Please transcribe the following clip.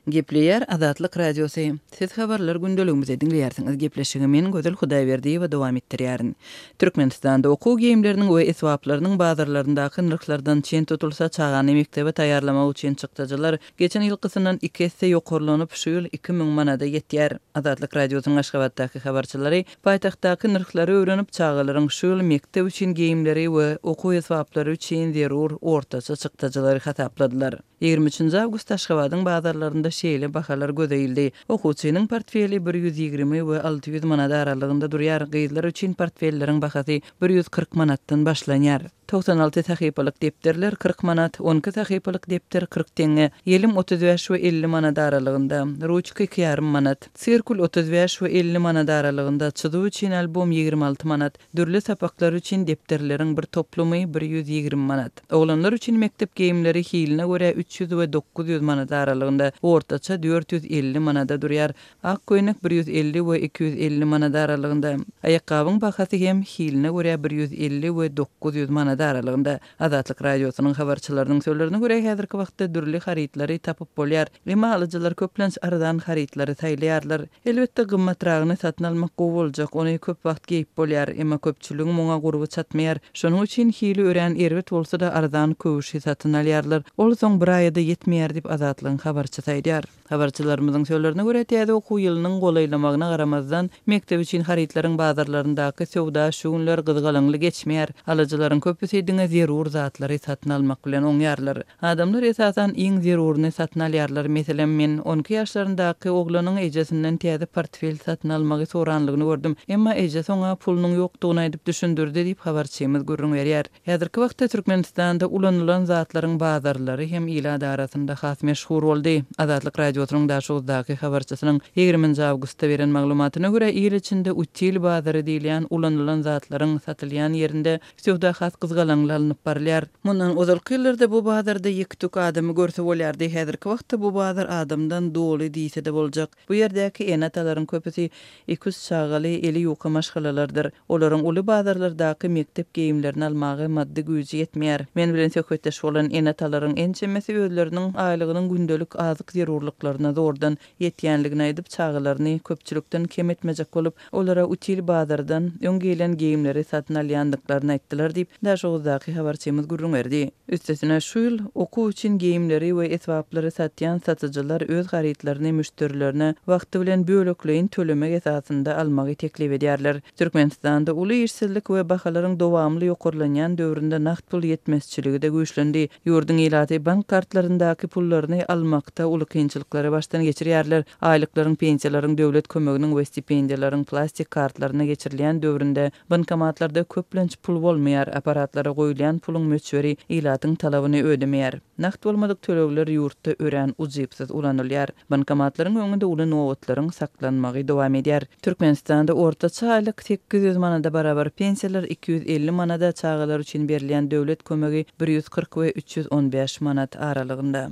Gepleýär Azatlyk Radiosy. Siz habarlar gündeligimizi diňleýärsiňiz. Gepleşigi men Gözel Hudaýberdiýewa dowam etdirýärin. Türkmenistanda okuw geýimleriniň we esbaplarynyň bazarlaryndaky nyrhlardan çen tutulsa, çagany mekdebe taýýarlamak üçin çykdajylar geçen ýylkysyndan iki esse ýokarlanyp, şu ýyl 2000 manada ýetýär. Azatlyk Radiosynyň Aşgabatdaky habarçylary paýtagtdaky nyrhlary öwrenip, çagalaryň şu ýyl mekdep üçin geýimleri we okuw esbaplary üçin zerur ortaça çykdajylary hasapladylar. 23 awgustda Aşgabadyň bazarlarynda şeýle bahalar göze ildi. Okuwçynyň portfeli 120 we 600 manat aralygynda durýar, gyzlar üçin portfelleriň bahasy 140 manatdan başlanýar. 96 sahypalyk depderler 40 manat, 12 sahypalyk depder 40 teňňe, ýelim 35 we 50 manat aralygynda, ruçka iki ýarym manat, sirkul 35 we 50 manat aralygynda, çyzuw üçin albom 26 manat, Dürli sapaklar üçin depderleriň bir toplumy 120 manat. Oglanlar üçin mekdep geýimleri hiline görä 300 we 900 manat aralygynda, ortaça 450 manada durýar. Ak köýnek 150 we 250 manat aralygynda. Aýakgabyň bahasy hem hiline görä 150 we 900 manat aralygynda. Azatlyk Radiosynyň habarçylarynyň sözlerine görä, häzirki wagtda dürli harytlary tapyp bolýar. Emma alyjylar köplenç arzan harytlary saýlaýarlar. Elbetde, gymmatragyny satyn almak gowy boljak, ony köp wagt geýip bolýar. Emma köpçüligiň muňa gurby çatmaýar. Şonuň üçin hili örän erbet bolsa-da arzan köwşi satyn alýarlar. Ol soň bir aýa-da ýetmeýär diýip, Azatlygyň habarçysy aýdýar. Habarçylarymyzyň sözlerine görä, täze okuw ýylynyň golaýlamagyna garamazdan, mekdep üçin harytlaryň bazarlaryndaky söwda şu günler gyzgalaňly geçmeýär. Alyjylaryň köpüsi diňe zerur zatlary satyn almak bilen oňýarlar. Adamlar esasan iň zeruryny satyn alýarlar. Meselem, men 12 ýaşlaryndaky oglanyň ejesinden täze portfel satyn almagy soranlygyny gördüm. Emma ejesi oňa pulunyň ýokdugyny aýdyp düşündirdi diýip, habarçymyz gürrüň berýär. Häzirki wagtda Türkmenistanda ulanylan zatlaryň bazarlary hem ilat arasynda has meşhur boldy. Azatlyk Radiosynyň Daşoguzdaky habarçysynyň 20-nji awgustda beren maglumatyna görä, il içinde util bazary diýilýän ulanylan zatlaryň satylýan ýerinde Söwda has gyzgalaňly alnyp barylýar. Mundan ozalky ýyllarda bu bazarda ýek-tük adamy görse bolýardy. Häzirki wagtda bu bazar adamdan doly diýse-de boljak. Bu ýerdäki ene-atalaryň köpüsi iki-üç çagaly, eli ýuka maşgalalardyr. Olaryň uly bazarlardaky mekdep geýimlerini almaga maddy güýji ýetmeýär. Men bilen söhbetdeş bolan ene-atalaryň ençemesi özleriniň aýlygynyň gündelik azyk zerurlyklaryna zordan ýetýänligini aýdyp, çagalaryny köpçülikden kem etmejek bolup, olara util bazardan öň geýlen geýimleri satyn alýandyklaryny aýtdylar diýip, Daşoguzdaky habarçymyz gürrüň berdi. Üstesine, şu ýyl okuw üçin geýimleri we esbaplary satýan satyjylar öz harytlaryny müşderilerine wagty bilen bölekleýin tölemek esasynda almagy teklip edýärler. Türkmenistanda uly işsizlik we bahalaryň dowamly ýokarlanýan döwründe nagt pul ýetmezçiligi-de güýçlendi. Ýurduň ilaty bank kartlaryndaky pullaryny almakda uly kynçylyklary başdan geçirýärler. Aýlyklaryň, pensiýalaryň, döwlet kömeginiň we stipendiýalaryň plastik kartlaryna geçirilýän döwründe bankomatlarda köplenç pul bolmaýar, apparatlara goýulýan puluň möçberi ilatyň talabyny ödemeýär. Nagt bolmadyk tölegler ýurtda örän ujypsyz ulanylýar. Bankomatlaryň öňünde uly nobatlaryň saklanmagy dowam edýär. Türkmenistanda ortaça aýlyk 800 manada barabar, pensiýalar 250 manada, çagalar üçin berilýän döwlet kömegi 140 we 315 manat aralygynda.